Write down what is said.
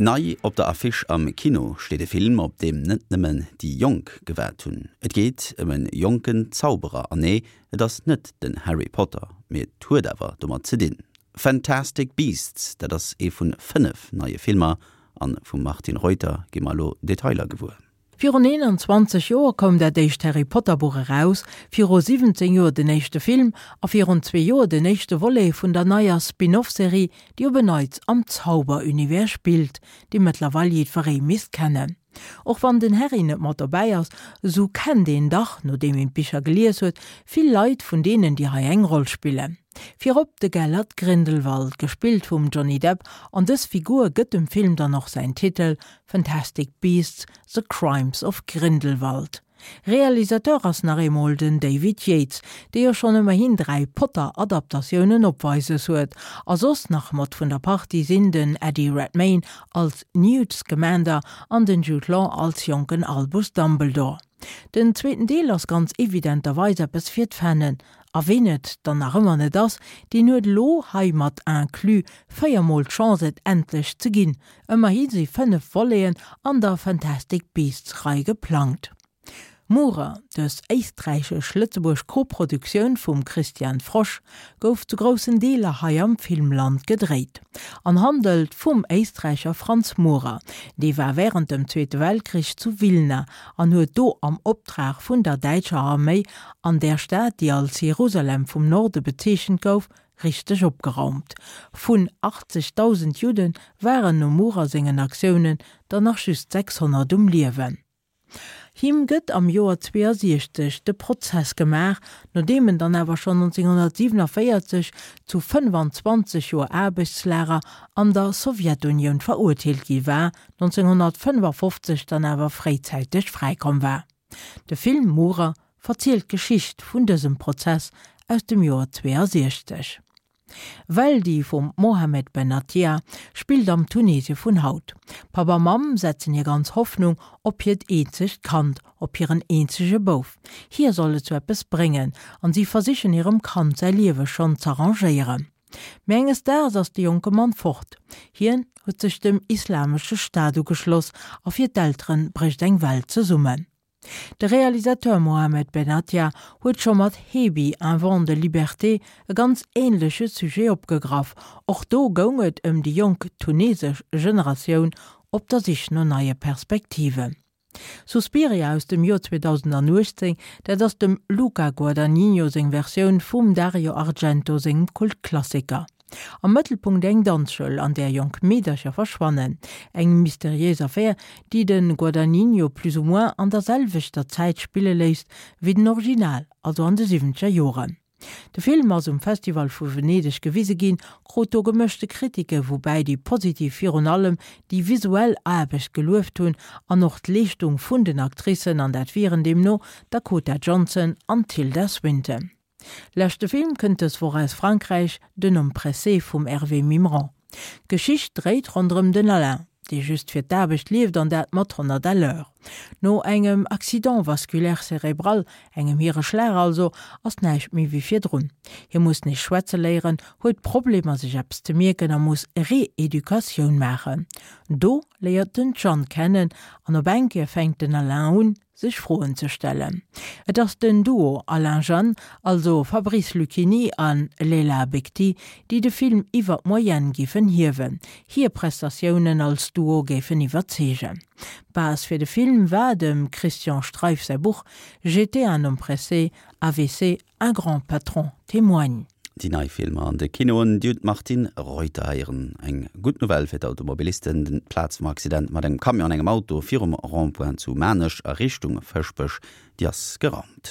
Nei op der Affiche am Kino steet e Film, op deem net nëmmen déi Jonk gewaart hunn. Et geet ëm e jonken Zauberer, an nee, et ass net den Harry Potter, mee et huet awer domat ze dinn. Fantastic Beasts, dat ass ee vun 5 neie Filmer, an vum Martine Reuter gi mer elo Detailer gewuer. Virun 21 Joer koum dat éischt Harry Potter Buch eraus, viru 17 Joer den éischte Film a virun zwee Joer den éischte Volet vun der neier Spin-off-Serie, déi op en Neits am Zauber-Univers spillt, dee mëttlerweil jiddweree misst kennen. Och wann den Harry net mat dobäi ass, esou kennt een dach, nodeem een d'Bicher gelies huet, vill Leit vun deenen, déi hei eng Roll spillen. Virop de Gellert Grindelwald, gespillt vum Johnny Depp, an dës Figur gëtt dem Film dann och säin Titel, Fantastic Beasts, The Crimes of Grindelwald. Realisateur ass nach eemol den David Yates, dee jo schonn ëmmerhin 3 Potter-Adaptatiounen opweises huet. A soss nach mat vun der Partie sinn den Eddie Redmayne als Newt Scamander an den Jude Law als jonken Albus Dumbledore. Den zweeten Deel ass ganz evidenterweis eppes fir d'Fannen, a ween et dann nach ëmmer net ass, deen huet elo, hei mat inclus, 4 mol d'Chance et endlech ze ginn. Ëmmerhi si 5 Voleten an der Fantastic Beasts Rei geplangt. Murer, dës éisträichesch-lëtzebuerg Koproduktioun vum Christian Frosch, gouf zu groussen Deeler hei am Filmland gedréit an handelt vum Éisträicher Franz Murer. Dee war wärend dem Zweete Weltkrich zu Wilna an huet do am Optrag vun der däitscher Arméi an där Stad, déi als Jerusalem vum Norde bezeechent gouf, richteg opgeraumt. Vun 80.000 Judde waren nom Murer sengen Aktiounen der nach just 600 um Liewen. Him gëtt am Joer 62 de Prozess gemaach, nodeem en dann awer schonn 1947 zu 25 Joer Aarbechtslager an der Sowjetunioun verurteelt gi war, 1955 dann awer fréizäiteg fräikomm war. De Film Murer verzielt d'Geschicht vun dësem Prozess aus dem Joer 62. Weldi vum Mohamed Benatia spillt am Tunesie vun haut. Papp a Mamm setzen hir ganz Hoffnung op hiert eenzegt Kand, op hiren eenzege Bouf. Hie soll et zu eppes bréngen an si versichen hirem Kand säi Liewe schonn z'arrangéieren. Mee enges Daags ass de jonke Mann fort. Hien huet sech dem Islamesche Staat ugeschloss a fir d'Eltere brécht eng Welt zesummen. De Realisateur Mohamed Benatia huet scho mat Hebi, un vent de liberté e ganz änleche Sujet opgegraff. Och do goung et ëm déi jonk tunesesch Generatioun op der Sich no neie Perspektiven. Suspiria aus dem Joer 2018, dat ass dem Luca Guadagnino seng Versioun vum Dario Argento sengem Kultklassiker. Am Mëttelpunkt eng Danzschoul, an där jonk Meedercher verschwannen. Eng mysteriéis Affär, déi de Guadagnino plus ou moins an der selwechter Zäit spille léisst wéi den Original, also an de siwwenzeger Joren. De Film ass um Festival vu Venedeg gewise ginn, krut do gemëschte Kritike, woubäi déi positiv virun allem déi visuell Aarbecht gelueft hunn an och d'Leeschtung vun den Actricen, an dat wieren deemno d'Dakota Johnson an d'Tilda Swinton. Leschte Film kënnt dës Woch aus Frankräich, Den Homme pressé vum Hervé Mimran. D'Geschicht dréit ronderëm den Alain, dee just fir d'Aarbecht lieft an dat mat 100 à l'heure. No engem Accident vasculaire cérébral, engem Hiereschlag also, ass näischt méi wéi virdrun. Hie muss nees schwätze léieren, huet Problemer sech eppes ze mierken a muss Reeducatioun maachen. Do léiert en d'Jeanne kennen an op eng Kéier fänkt den Alain un, sech Froen ze stellen. Et ass den Duo Alain-Jeanne, also Fabrice Luchini a Leila Bekhti, déi de Film iwwer d'Moyenne géifen hiewen. Hir Prestatiounen als Duo géifen iwwerzeegen. Base fir de Film war dem Christian Streiff säi Buch J'étais un homme pressé, AVC, Un grand patron témoigne. Déi nei Filmer an de Kinoen, déi huet d'Martine Reuter héieren. Eng gutt Nouvelle fir d'Automobilisten, Den d'Plaz vum Accident mat engem Camion an engem Auto virum Rond-point zu Maarnech a Richtung Fëschbech, déi ass geraumt.